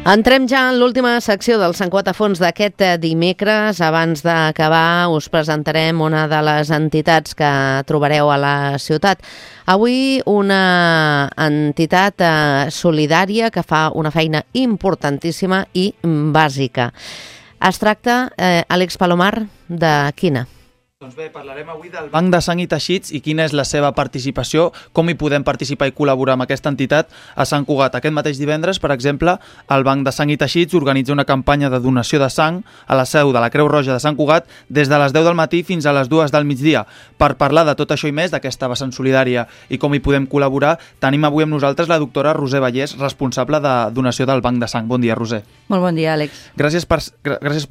Entrem ja en l'última secció del Sant Cugat a fons d'aquest dimecres. Abans d'acabar us presentarem una de les entitats que trobareu a la ciutat. Avui una entitat solidària que fa una feina importantíssima i bàsica. Es tracta, Àlex Palomar, de quina? Doncs bé, parlarem avui del Banc de Sang i Teixits i quina és la seva participació, com hi podem participar i col·laborar amb aquesta entitat a Sant Cugat. Aquest mateix divendres, per exemple, el Banc de Sang i Teixits organitza una campanya de donació de sang a la seu de la Creu Roja de Sant Cugat des de les 10 del matí fins a les 2 del migdia. Per parlar de tot això i més, d'aquesta vessant solidària i com hi podem col·laborar, tenim avui amb nosaltres la doctora Roser Vallès, responsable de donació del Banc de Sang. Bon dia, Roser. Molt bon dia, Àlex. Gràcies per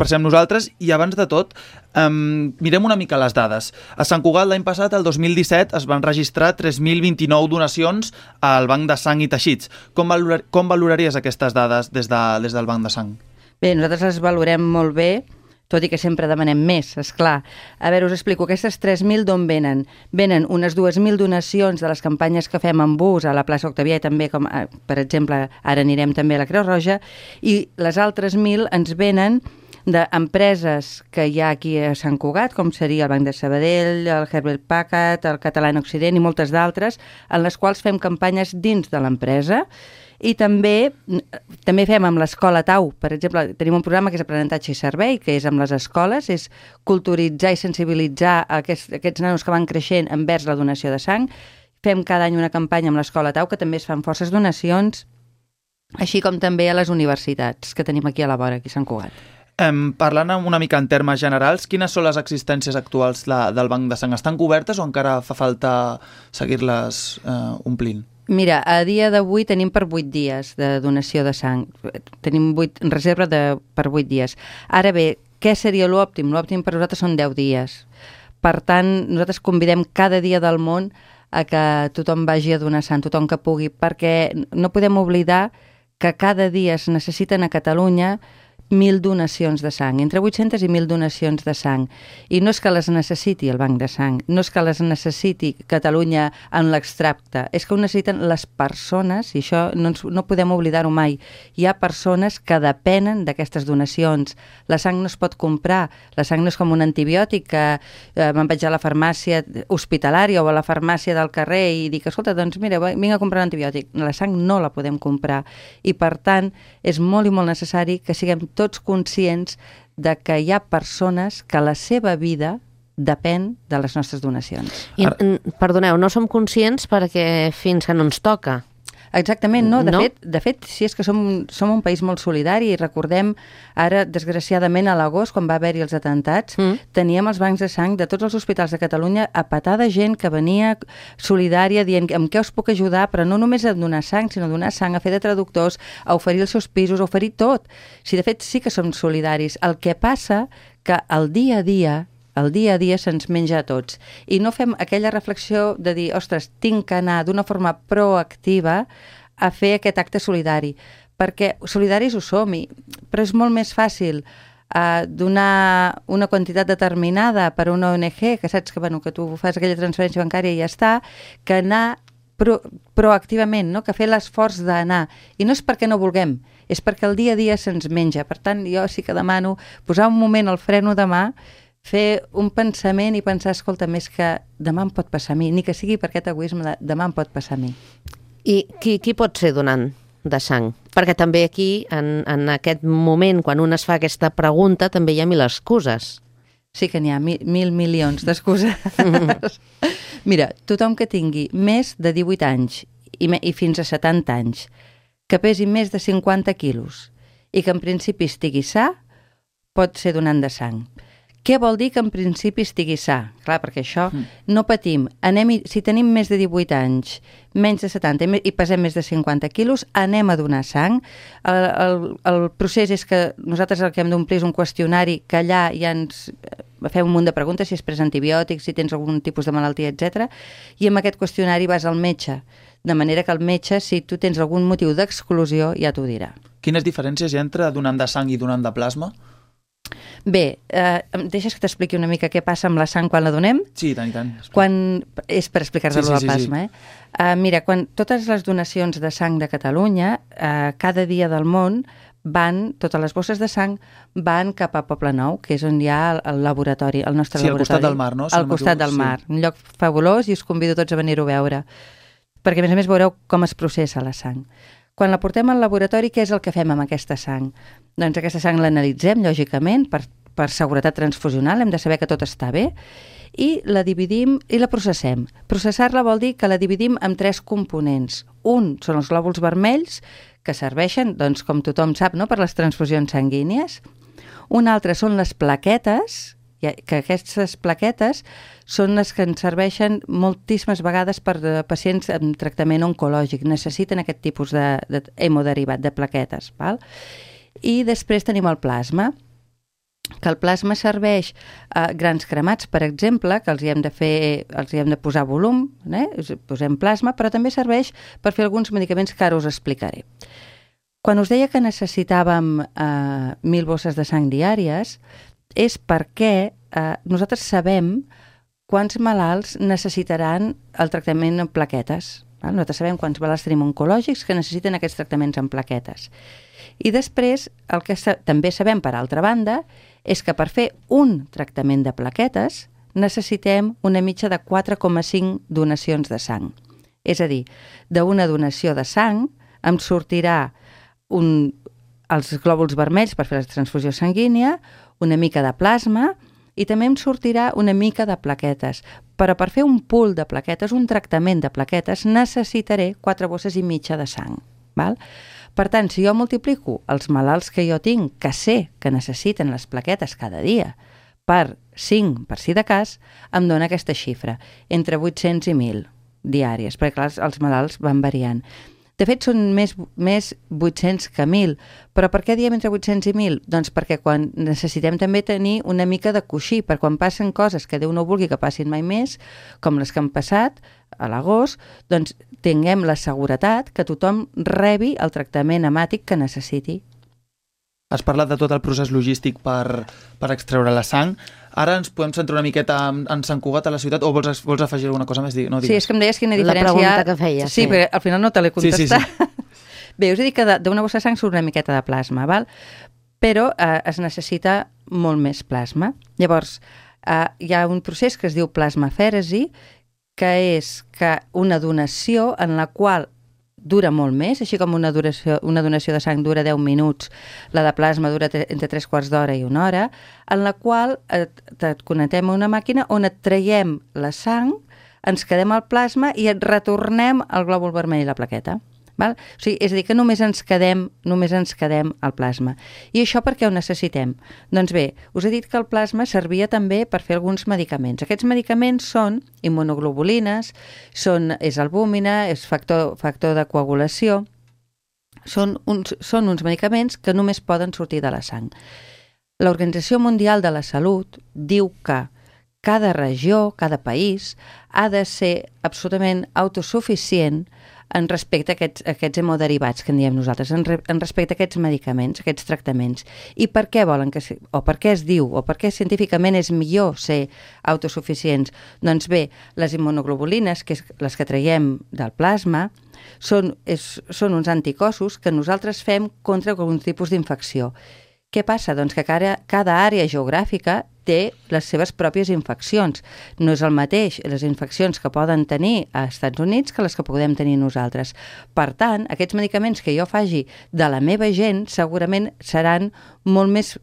ser amb nosaltres i abans de tot, mirem una mica les dades. A Sant Cugat l'any passat, el 2017, es van registrar 3.029 donacions al Banc de Sang i Teixits. Com valoraries aquestes dades des del Banc de Sang? Bé, nosaltres les valorem molt bé, tot i que sempre demanem més, esclar. A veure, us explico, aquestes 3.000 d'on venen? Venen unes 2.000 donacions de les campanyes que fem en bus a la plaça Octavià i també, com per exemple, ara anirem també a la Creu Roja, i les altres 1.000 ens venen d'empreses que hi ha aquí a Sant Cugat, com seria el Banc de Sabadell, el Herbert Packard, el Català en Occident i moltes d'altres, en les quals fem campanyes dins de l'empresa. I també fem amb l'Escola Tau. Per exemple, tenim un programa que és Aprenentatge i Servei, que és amb les escoles, és culturitzar i sensibilitzar aquests nanos que van creixent envers la donació de sang. Fem cada any una campanya amb l'Escola Tau, que també es fan forces donacions, així com també a les universitats que tenim aquí a la vora, aquí a Sant Cugat. Parlant una mica en termes generals, quines són les existències actuals del Banc de Sang? Estan cobertes o encara fa falta seguir-les omplint? Mira, a dia d'avui tenim per 8 dies de donació de sang. Tenim reserva per 8 dies. Ara bé, què seria l'òptim? L'òptim per nosaltres són 10 dies. Per tant, nosaltres convidem cada dia del món a que tothom vagi a donar sang, tothom que pugui, perquè no podem oblidar que cada dia es necessiten a Catalunya 1.000 donacions de sang, entre 800 i 1.000 donacions de sang. I no és que les necessiti el Banc de Sang, no és que les necessiti Catalunya en l'extracte, és que ho necessiten les persones, i això no podem oblidar-ho mai. Hi ha persones que depenen d'aquestes donacions. La sang no es pot comprar, la sang no és com un antibiòtic que me'n vaig a la farmàcia hospitalària o a la farmàcia del carrer i dic, escolta, doncs mira, vinc a comprar un antibiòtic. La sang no la podem comprar i per tant és molt i molt necessari que siguem tots conscients de que hi ha persones que la seva vida depèn de les nostres donacions. Perdoneu, no som conscients perquè fins que no ens toca. Exactament, no. De fet, sí, és que som un país molt solidari i recordem ara, desgraciadament, a l'agost, quan va haver-hi els atentats, teníem els bancs de sang de tots els hospitals de Catalunya a petar de gent que venia solidària dient amb què us puc ajudar, però no només a donar sang, sinó a donar sang, a fer de traductors, a oferir els seus pisos, a oferir tot. De fet, sí que som solidaris. El que passa que el dia a dia se'ns menja a tots. I no fem aquella reflexió de dir, ostres, tinc que anar d'una forma proactiva a fer aquest acte solidari. Perquè solidaris ho som, però és molt més fàcil donar una quantitat determinada per a una ONG, que saps que tu fas aquella transferència bancària i ja està, que anar proactivament, no? Que fer l'esforç d'anar. I no és perquè no vulguem, és perquè el dia a dia se'ns menja. Per tant, jo sí que demano posar un moment al freno de mà, fer un pensament i pensar, escolta, més que demà em pot passar a mi, ni que sigui per aquest egoisme de demà em pot passar a mi. I qui pot ser donant de sang? Perquè també aquí, en aquest moment, quan un es fa aquesta pregunta, també hi ha 1.000 excuses. Sí que n'hi ha 1.000 milions d'excuses. Mira, tothom que tingui més de 18 anys i fins a 70 anys, que pesi més de 50 quilos i que en principi estigui sa, pot ser donant de sang. Què vol dir que en principi estigui sa? Clar, perquè això no patim. Si tenim més de 18 anys, menys de 70 i pesem més de 50 quilos, anem a donar sang. El procés és que nosaltres el que hem d'omplir és un qüestionari que allà ja ens fem un munt de preguntes, si has pres antibiòtics, si tens algun tipus de malaltia, etc. I amb aquest qüestionari vas al metge. De manera que el metge, si tu tens algun motiu d'exclusió, ja t'ho dirà. Quines diferències hi ha entre donant de sang i donant de plasma? Bé, em deixes que t'expliqui una mica què passa amb la sang quan la donem? Sí, tant i tant. És per explicar-te el plasma, Mira, quan totes les donacions de sang de Catalunya, cada dia del món totes les bosses de sang van cap a Poblenou, que és on hi ha el laboratori, el nostre laboratori. Sí, al costat del mar, no? Al costat del mar. Un lloc fabulós i us convido tots a venir-ho a veure. Perquè, a més, veureu com es processa la sang. Quan la portem al laboratori, què és el que fem amb aquesta sang? Doncs aquesta sang l'analitzem, lògicament, per seguretat transfusional, hem de saber que tot està bé, i la dividim i la processem. Processar-la vol dir que la dividim en 3 components. Un són els glòbuls vermells, que serveixen, doncs, com tothom sap, no?, per les transfusions sanguínies. Un altre són les plaquetes, que aquestes plaquetes són les que ens serveixen moltíssimes vegades per pacients amb tractament oncològic. Necessiten aquest tipus d'hemoderivat, de plaquetes. Val? I després tenim el plasma, que el plasma serveix a grans cremats, per exemple, que els hi hem de posar volum, posem plasma, però també serveix per fer alguns medicaments que ara us explicaré. Quan us deia que necessitàvem 1.000 bosses de sang diàries, és perquè nosaltres sabem quants malalts necessitaran el tractament en plaquetes. Nosaltres sabem quants malalts tenim oncològics que necessiten aquests tractaments en plaquetes. I després, el que també sabem, per altra banda, és que per fer un tractament de plaquetes necessitem una mitja de 4,5 donacions de sang. És a dir, d'una donació de sang em sortirà els glòbuls vermells per fer la transfusió sanguínia, una mica de plasma i també em sortirà una mica de plaquetes. Però per fer un pool de plaquetes, un tractament de plaquetes, necessitaré 4 bosses i mitja de sang. Val? Per tant, si jo multiplico els malalts que jo tinc, que sé que necessiten les plaquetes cada dia, per 5, per si de cas, em dona aquesta xifra, entre 800 i 1.000 diàries, perquè clar, els malalts van variant. De fet, són més 800 que 1.000. Però per què diem entre 800 i 1.000? Doncs perquè quan necessitem també tenir una mica de coixí, per quan passen coses que Déu no vulgui que passin mai més, com les que han passat a l'agost, doncs tinguem la seguretat que tothom rebi el tractament hemàtic que necessiti. Has parlat de tot el procés logístic per extreure la sang. Ara ens podem centrar una miqueta en Sant Cugat a la ciutat, o vols afegir alguna cosa més? No, sí, és que em deies quina diferència... La pregunta que feies. Sí, perquè al final no te l'he contestat. Sí. Bé, us he dit que d'una bossa de sang surt una miqueta de plasma, val? Però es necessita molt més plasma. Llavors, hi ha un procés que es diu plasmafèresi, que és una donació en la qual dura molt més, així com una donació de sang dura 10 minuts, la de plasma dura entre 3/4 d'hora i 1 hora, en la qual et connectem a una màquina on et traiem la sang, ens quedem al plasma i et retornem el glòbul vermell i la plaqueta. Val? O sigui, és a dir, que només ens quedem al plasma. I això per què ho necessitem? Doncs bé, us he dit que el plasma servia també per fer alguns medicaments. Aquests medicaments són immunoglobulines, és albúmina, és factor de coagulació, són uns medicaments que només poden sortir de la sang. L'Organització Mundial de la Salut diu que cada regió, cada país, ha de ser absolutament autosuficient en respecte a aquests hemoderivats que en diem nosaltres, en respecte a aquests medicaments, aquests tractaments. I per què volen o per què es diu, o per què científicament és millor ser autosuficients? Doncs bé, les immunoglobulines, que és les que traiem del plasma, són uns anticossos que nosaltres fem contra algun tipus d'infecció. Què passa? Doncs que cada àrea geogràfica té les seves pròpies infeccions. No és el mateix les infeccions que poden tenir als Estats Units que les que podem tenir nosaltres. Per tant, aquests medicaments que jo faci de la meva gent segurament seran molt més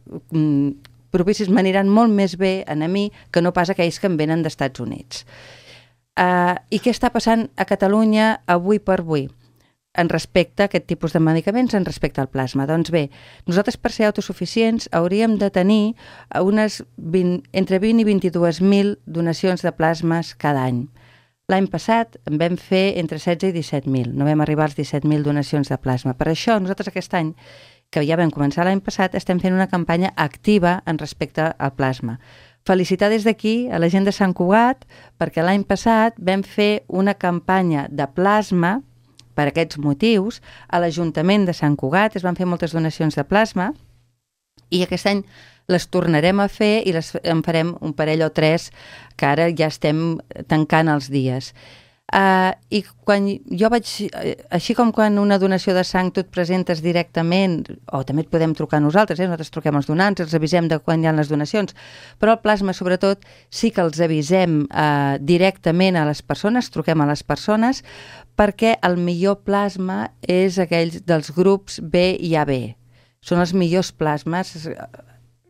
propicis, m'aniran molt més bé a mi que no pas aquells que em venen d'Estats Units. I què està passant a Catalunya avui per avui? En respecte a aquest tipus de medicaments, en respecte al plasma. Doncs bé, nosaltres per ser autosuficients hauríem de tenir entre 20 i 22.000 donacions de plasmes cada any. L'any passat en vam fer entre 16 i 17.000, no vam arribar als 17.000 donacions de plasma. Per això nosaltres aquest any, que ja vam començar l'any passat, estem fent una campanya activa en respecte al plasma. Felicitar des d'aquí a la gent de Sant Cugat, perquè l'any passat vam fer una campanya de plasma per aquests motius. A l'Ajuntament de Sant Cugat es van fer moltes donacions de plasma i aquest any les tornarem a fer i en farem un parell o 3 que ara ja estem tancant els dies. I quan jo vaig, així com quan una donació de sang tu et presentes directament, o també et podem trucar nosaltres, nosaltres truquem els donants, els avisem de quan hi ha les donacions, però el plasma sobretot sí que els avisem directament a les persones, truquem a les persones, perquè el millor plasma és aquells dels grups B i AB. Són els millors plasmes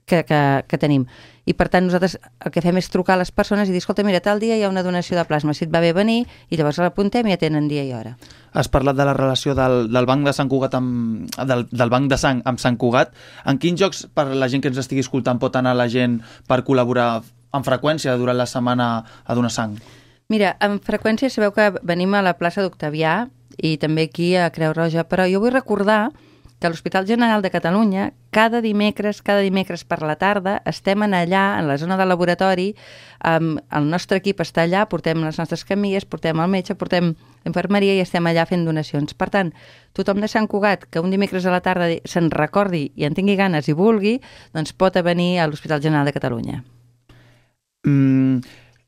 que tenim. I per tant nosaltres el que fem és trucar a les persones i dir, escolta, mira, tal dia hi ha una donació de plasma, si et va bé venir, i llavors l'apuntem i ja tenen dia i hora. Has parlat de la relació del Banc de Sant Cugat del Banc de Sang amb Sant Cugat. En quins jocs, per la gent que ens estigui escoltant, pot anar la gent per col·laborar amb freqüència durant la setmana a donar sang? Mira, amb freqüència sabeu que venim a la plaça d'Octavià i també aquí a Creu Roja, però jo vull recordar que a l'Hospital General de Catalunya cada dimecres per la tarda estem allà, en la zona del laboratori, el nostre equip està allà, portem les nostres camilles, portem el metge, portem infermeria i estem allà fent donacions. Per tant, tothom de Sant Cugat que un dimecres a la tarda se'n recordi i en tingui ganes i vulgui, doncs pot venir a l'Hospital General de Catalunya.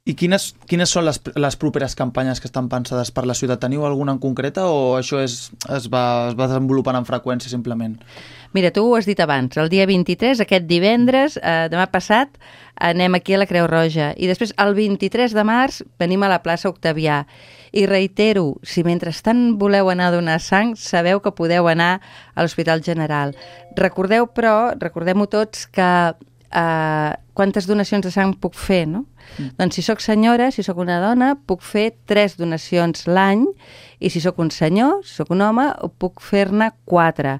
I quines són les properes campanyes que estan pensades per la ciutat? Teniu alguna en concreta o això es va desenvolupant en freqüència simplement? Mira, tu ho has dit abans, el dia 23, aquest divendres, demà passat, anem aquí a la Creu Roja. I després, el 23 de març, venim a la plaça Octavià. I reitero, si mentrestant voleu anar a donar sang, sabeu que podeu anar a l'Hospital General. Recordem-ho tots que quantes donacions de sang puc fer, no? Doncs si sóc senyora, si sóc una dona, puc fer 3 donacions l'any, i si sóc un senyor, si sóc un home, puc fer-ne 4.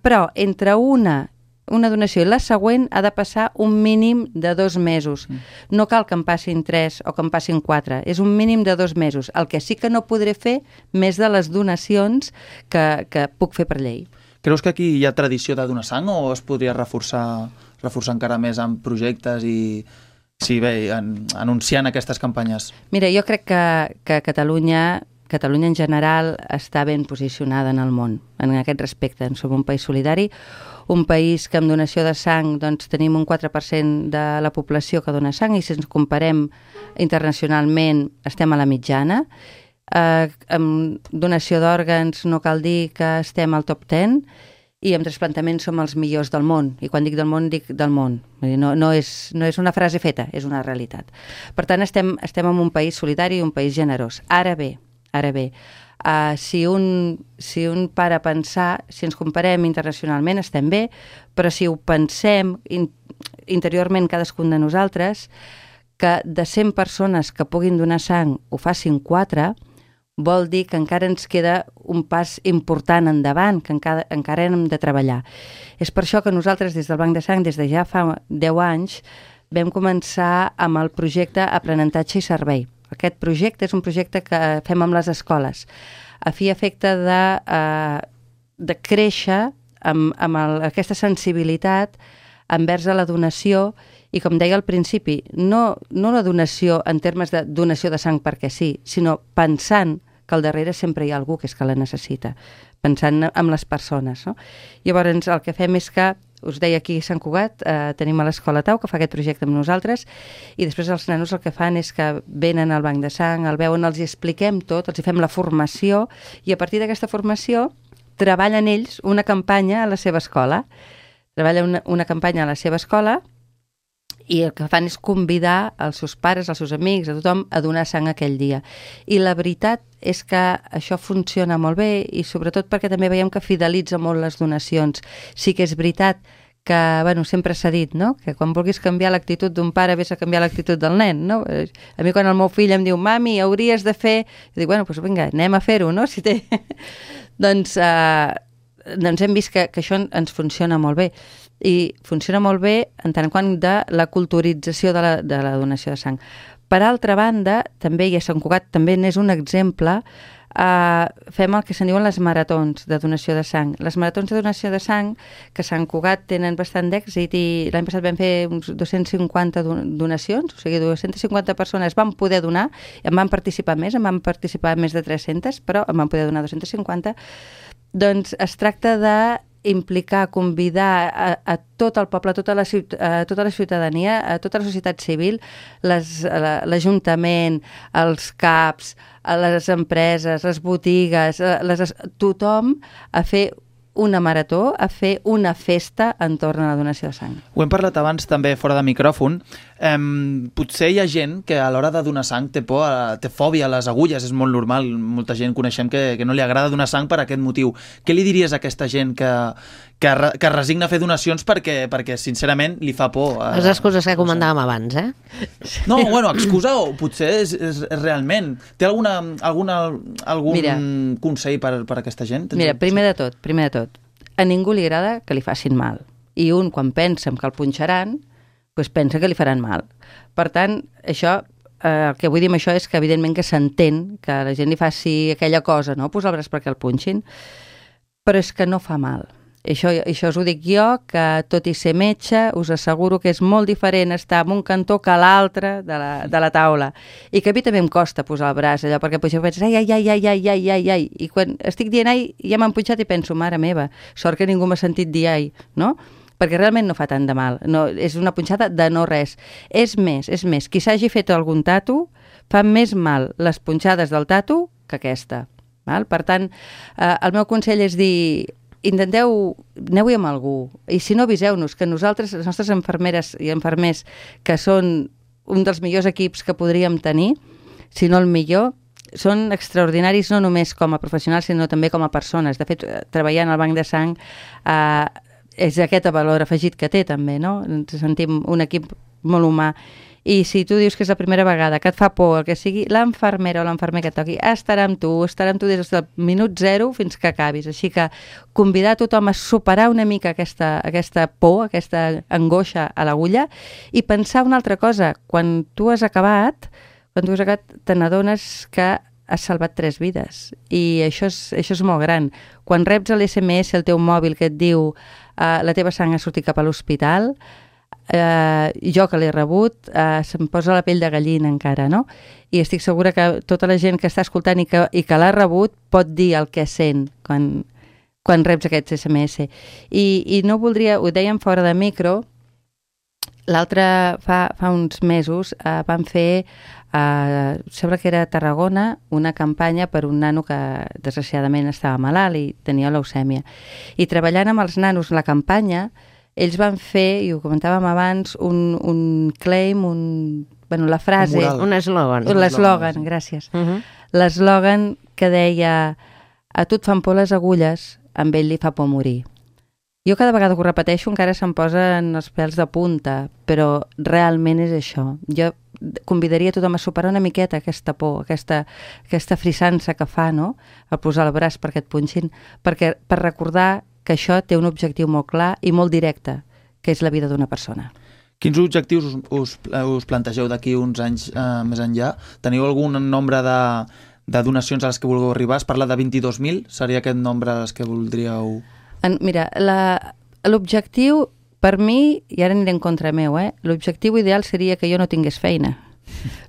Però entre una donació i la següent ha de passar un mínim de 2 mesos. No cal que em passin 3 o que em passin 4, és un mínim de 2 mesos. El que sí que no podré fer més de les donacions que puc fer per llei. Creus que aquí hi ha tradició de donar sang o es podria reforçar encara més amb projectes i anunciant aquestes campanyes? Mira, jo crec que Catalunya en general està ben posicionada en el món, en aquest respecte. Som un país solidari, un país que amb donació de sang doncs, tenim un 4% de la població que dona sang i si ens comparem internacionalment estem a la mitjana. Amb donació d'òrgans no cal dir que estem al top 10 i amb trasplantament som els millors del món. I quan dic del món, dic del món. No és una frase feta, és una realitat. Per tant, estem en un país solidari i un país generós. Ara bé, si un para a pensar, si ens comparem internacionalment estem bé, però si ho pensem interiorment cadascun de nosaltres, que de 100 persones que puguin donar sang ho facin 4, vol dir que encara ens queda un pas important endavant, que encara hem de treballar. És per això que nosaltres des del Banc de Sang, des de ja fa 10 anys, vam començar amb el projecte Aprenentatge i Servei. Aquest projecte és un projecte que fem amb les escoles, a fi i efecte de créixer amb aquesta sensibilitat envers a la donació i, com deia al principi, no la donació en termes de donació de sang perquè sí, sinó pensant que al darrere sempre hi ha algú que és que la necessita, pensant en les persones. No? Llavors, el que fem és que, us deia aquí a Sant Cugat, tenim a l'Escola Tau, que fa aquest projecte amb nosaltres, i després els nanos el que fan és que venen al banc de sang, el veuen, els hi expliquem tot, els hi fem la formació, i a partir d'aquesta formació treballen ells una campanya a la seva escola. Treballen una campanya a la seva escola i el que fan és convidar els seus pares, els seus amics, a tothom a donar sang aquell dia. I la veritat és que això funciona molt bé i sobretot perquè també veiem que fidelitza molt les donacions. Sí que és veritat que, sempre s'ha dit, no?, que quan vulguis canviar l'actitud d'un pare vés a canviar l'actitud del nen, no? A mi quan el meu fill em diu, mami, hauries de fer... Jo dic, doncs vinga, anem a fer-ho, no? Si té... doncs hem vist que això ens funciona molt bé. I funciona molt bé en tant quant de la culturització de la donació de sang. Per altra banda, també, i a Sant Cugat també n'és un exemple, fem el que se'n diuen les maratons de donació de sang. Les maratons de donació de sang, que a Sant Cugat tenen bastant d'èxit i l'any passat vam fer uns 250 donacions, o sigui, 250 persones van poder donar, en van participar més de 300, però en van poder donar 250. Doncs es tracta de implicar, convidar a tot el poble, a tota la ciutadania, a tota la societat civil, l'Ajuntament, els CAPs, les empreses, les botigues, tothom a fer una marató, a fer una festa entorn a la donació de sang. Ho hem parlat abans també fora de micròfon. Potser hi ha gent que a l'hora de donar sang té por, té fòbia a les agulles, és molt normal. Molta gent coneixem que no li agrada donar sang per aquest motiu. Què li diries a aquesta gent que resigna a fer donacions perquè sincerament li fa por? Les excuses que comentàvem abans, eh? No, bueno, excusa o potser és realment. Té algun consell per a aquesta gent? Mira, primer de tot, a ningú li agrada que li facin mal. I un, quan pensa que el punxaran, doncs pensa que li faran mal. Per tant, això, el que vull dir amb això és que evidentment que s'entén que la gent li faci aquella cosa, no? Posar el braç perquè el punxin, però és que no fa mal. Això us ho dic jo, que tot i ser metge, us asseguro que és molt diferent estar en un cantó que a l'altre de la taula. I que a mi també em costa posar el braç, allò, perquè potser penses, ai, i quan estic dient ai, ja m'han punxat i penso, mare meva, sort que ningú m'ha sentit dir ai, no? Perquè realment no fa tant de mal, no, és una punxada de no res. És més, qui s'hagi fet algun tatu, fa més mal les punxades del tatu que aquesta. Val? Per tant, el meu consell és dir, aneu-hi amb algú, i si no, aviseu-nos, que nosaltres, les nostres infermeres i infermers, que són un dels millors equips que podríem tenir, si no el millor, són extraordinaris no només com a professionals, sinó també com a persones. De fet, treballant al banc de sang, és aquest valor afegit que té també, no? Ens sentim un equip molt humà. I si tu dius que és la primera vegada, que et fa por, el que sigui, l'infermera o l'infermer que et toqui estarà amb tu des del minut zero fins que acabis. Així que convidar tothom a superar una mica aquesta por, aquesta angoixa a l'agulla i pensar una altra cosa. Quan tu has acabat, te n'adones que has salvat 3 vides. I això és molt gran. Quan reps l'SMS, el teu mòbil, que et diu la teva sang ha sortit cap a l'hospital, jo que l'he rebut, se'm posa la pell de gallina encara, no? I estic segura que tota la gent que està escoltant i que l'ha rebut pot dir el que sent quan reps aquests SMS. I no voldria, ho dèiem fora de micro, fa uns mesos vam fer, sembla que era a Tarragona, una campanya per un nano que desgraciadament estava malalt i tenia leucèmia. I treballant amb els nanos la campanya, ells van fer, i ho comentàvem abans, un claim, la frase... Un eslògan. L'eslògan, gràcies. L'eslògan que deia a tu et fan por les agulles, amb ell li fa por morir. Jo cada vegada que ho repeteixo encara se'm posen els pèls de punta, però realment és això. Jo convidaria tothom a superar una miqueta aquesta por, aquesta frissança que fa, no?, a posar el braç perquè et punxin, per recordar que això té un objectiu molt clar i molt directe, que és la vida d'una persona. Quins objectius us plantegeu d'aquí uns anys més enllà? Teniu algun nombre de donacions a les que vulgueu arribar? Es parla de 22.000, seria aquest nombre a les que voldríeu... Mira, l'objectiu, per mi, i ara aniré en contra meu, l'objectiu ideal seria que jo no tingués feina.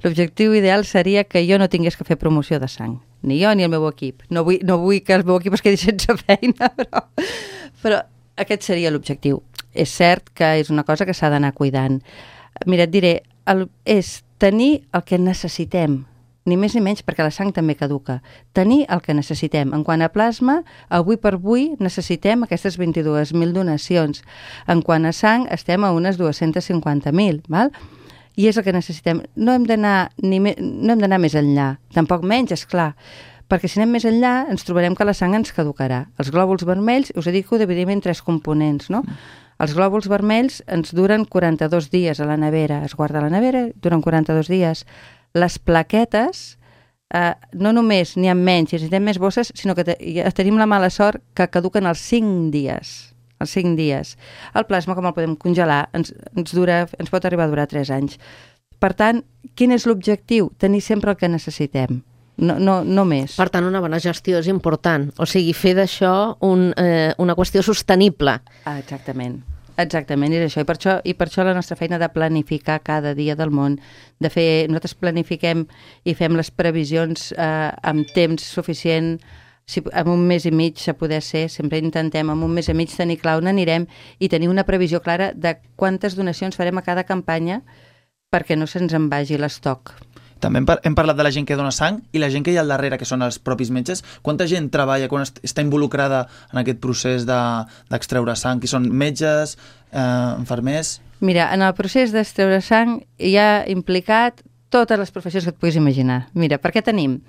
L'objectiu ideal seria que jo no tingués que fer promoció de sang. Ni jo ni el meu equip. No vull que el meu equip es quedi sense feina, però aquest seria l'objectiu. És cert que és una cosa que s'ha d'anar cuidant. Mira, et diré, és tenir el que necessitem, ni més ni menys, perquè la sang també caduca. Tenir el que necessitem. En quant a plasma, avui per avui necessitem aquestes 22.000 donacions. En quant a sang, estem a unes 250.000, val? I és el que necessitem. No hem d'anar més enllà, tampoc menys, és clar, perquè si anem més enllà ens trobarem que la sang ens caducarà. Els glòbuls vermells, us he dit que ho dividim en 3 components, no? Els glòbuls vermells ens duren 42 dies a la nevera, es guarda a la nevera, duren 42 dies. Les plaquetes, no només n'hi ha menys i necessitem més bosses, sinó que tenim la mala sort que caduquen als 5 dies. Els 5 dies. El plasma, com el podem congelar, ens pot arribar a durar 3 anys. Per tant, quin és l'objectiu? Tenir sempre el que necessitem, no més. Per tant, una bona gestió és important. O sigui, fer d'això una qüestió sostenible. Exactament, és això. I per això la nostra feina de planificar cada dia del món, nosaltres planifiquem i fem les previsions amb temps suficient, si en un mes i mig se poder ser, sempre intentem en un mes i mig tenir clar on anirem i tenir una previsió clara de quantes donacions farem a cada campanya perquè no se'ns en vagi l'estoc. També hem parlat de la gent que dona sang i la gent que hi ha al darrere, que són els propis metges. Quanta gent treballa, quan està involucrada en aquest procés d'extreure sang? Qui són metges, infermers? Mira, en el procés d'extreure sang hi ha implicat totes les professions que et puguis imaginar. Mira, perquè tenim...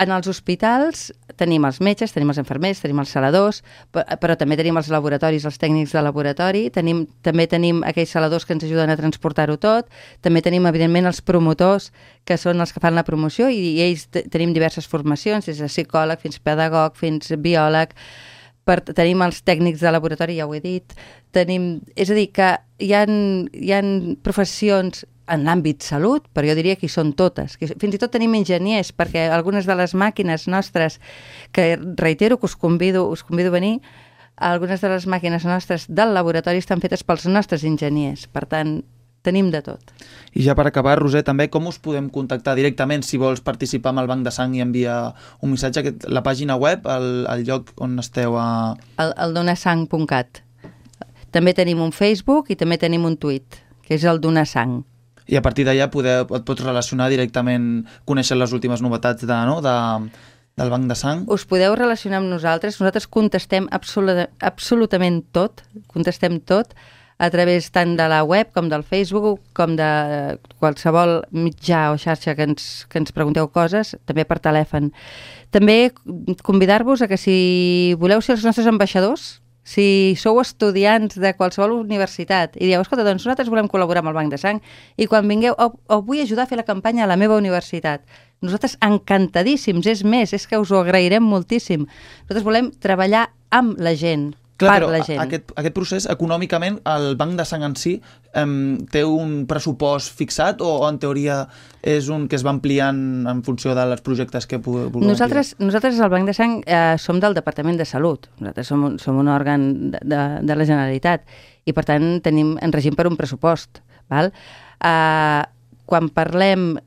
en els hospitals tenim els metges, tenim els infermers, tenim els saladors, però també tenim els laboratoris, els tècnics de laboratori, també tenim aquells saladors que ens ajuden a transportar-ho tot, també tenim, evidentment, els promotors, que són els que fan la promoció, i ells tenim diverses formacions, des de psicòleg fins pedagog, fins biòleg, tenim els tècnics de laboratori, ja ho he dit, és a dir, que hi ha professions en l'àmbit salut, però jo diria que hi són totes. Fins i tot tenim enginyers, perquè algunes de les màquines nostres, que reitero que us convido a venir, algunes de les màquines nostres del laboratori estan fetes pels nostres enginyers. Per tant, tenim de tot. I ja per acabar, Roser, també com us podem contactar directament si vols participar amb el Banc de Sang i enviar un missatge? La pàgina web, el lloc on esteu a... El donasang.cat. També tenim un Facebook i també tenim un tuit, que és el Donasang. I a partir d'allà et pots relacionar directament, conèixer les últimes novetats del Banc de Sang? Us podeu relacionar amb nosaltres. Nosaltres contestem absolutament tot, a través tant de la web com del Facebook, com de qualsevol mitjà o xarxa que ens pregunteu coses, també per telèfon. També convidar-vos a que si voleu ser els nostres ambaixadors, si sou estudiants de qualsevol universitat i dieu, escolta, doncs nosaltres volem col·laborar amb el Banc de Sang i quan vingueu, vull ajudar a fer la campanya a la meva universitat. Nosaltres encantadíssims, és més, és que us ho agrairem moltíssim. Nosaltres volem treballar amb la gent, clar, per la gent. Aquest procés, econòmicament, el Banc de Sang en si té un pressupost fixat o en teoria és un que es va ampliant en funció dels projectes que vulgueu ampliar? Nosaltres al Banc de Sang som del Departament de Salut. Nosaltres som un òrgan de la Generalitat i, per tant, ens regim per un pressupost. Val? Quan parlem,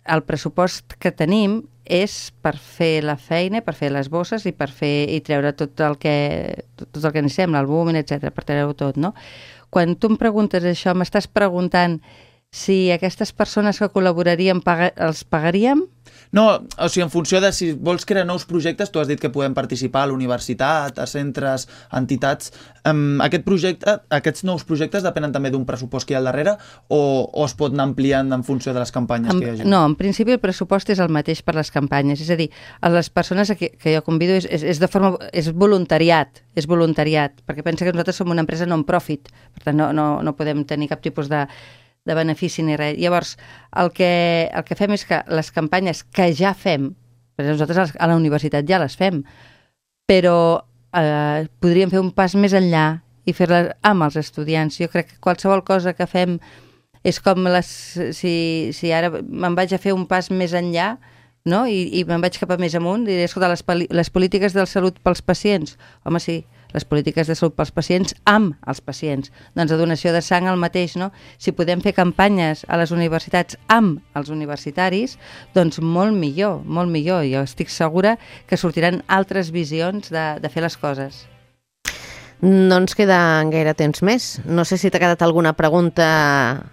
el pressupost que tenim és per fer la feina, per fer les bosses i per treure tot el que necessitem, l'albúmin, etc., per treure-ho tot, no? Quan tu em preguntes això, m'estàs preguntant si aquestes persones que col·laborarien els pagaríem? No, o sigui, en funció de si vols crear nous projectes, tu has dit que podem participar a la universitat, a centres, a entitats. Aquests nous projectes depenen també d'un pressupost que hi ha al darrere o es pot anar ampliant en funció de les campanyes que hi hagi? No, en principi el pressupost és el mateix per les campanyes. És a dir, a les persones que jo convido és voluntariat, perquè pensa que nosaltres som una empresa non-profit, per tant no podem tenir cap tipus de benefici ni res. Llavors, el que fem és que les campanyes que ja fem, perquè nosaltres a la universitat ja les fem, però podríem fer un pas més enllà i fer-les amb els estudiants. Jo crec que qualsevol cosa que fem és com si ara me'n vaig a fer un pas més enllà, no? I me'n vaig cap a més amunt i diré, escolta, les polítiques de salut pels pacients, home, sí, les polítiques de salut pels pacients amb els pacients. Doncs la donació de sang el mateix, no? Si podem fer campanyes a les universitats amb els universitaris, doncs molt millor, molt millor. Jo estic segura que sortiran altres visions de fer les coses. No ens queda gaire temps més. No sé si t'ha quedat alguna pregunta...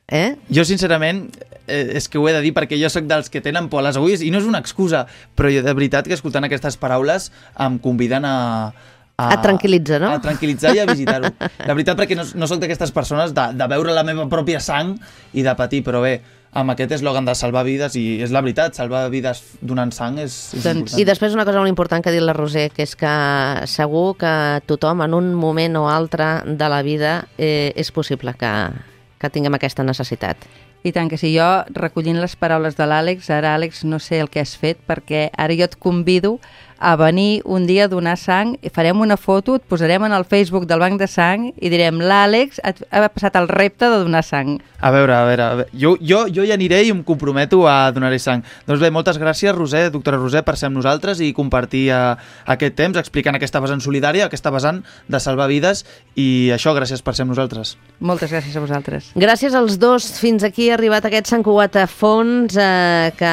Jo, sincerament, és que ho he de dir perquè jo sóc dels que tenen por a les agulles i no és una excusa, però jo de veritat que escoltant aquestes paraules em conviden a tranquil·litzar, no? A tranquil·litzar i a visitar-ho. La veritat, perquè no soc d'aquestes persones de veure la meva pròpia sang i de patir, però bé, amb aquest eslògan de salvar vides, i és la veritat, salvar vides donant sang és important. I després una cosa molt important que ha dit la Roser, que és que segur que tothom en un moment o altre de la vida és possible que tinguem aquesta necessitat. I tant que sí, jo recollint les paraules de l'Àlex, ara Àlex no sé el que has fet, perquè ara jo et convido a venir un dia a donar sang, i farem una foto, et posarem en el Facebook del Banc de Sang i direm, l'Àlex ha passat el repte de donar sang. A veure, jo hi aniré i em comprometo a donar-hi sang. Doncs bé, moltes gràcies, Roser, doctora Roser, per ser amb nosaltres i compartir aquest temps explicant aquesta vessant solidària, aquesta vessant de salvar vides, i això, gràcies per ser amb nosaltres. Moltes gràcies a vosaltres. Gràcies als dos. Fins aquí ha arribat aquest Sant Cugat a fons que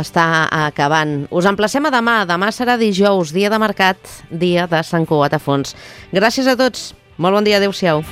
està acabant. Us emplacem a demà. Demà serà serà dijous, dia de mercat, dia de Sant Cugat a Fons. Gràcies a tots. Molt bon dia, adeu-siau.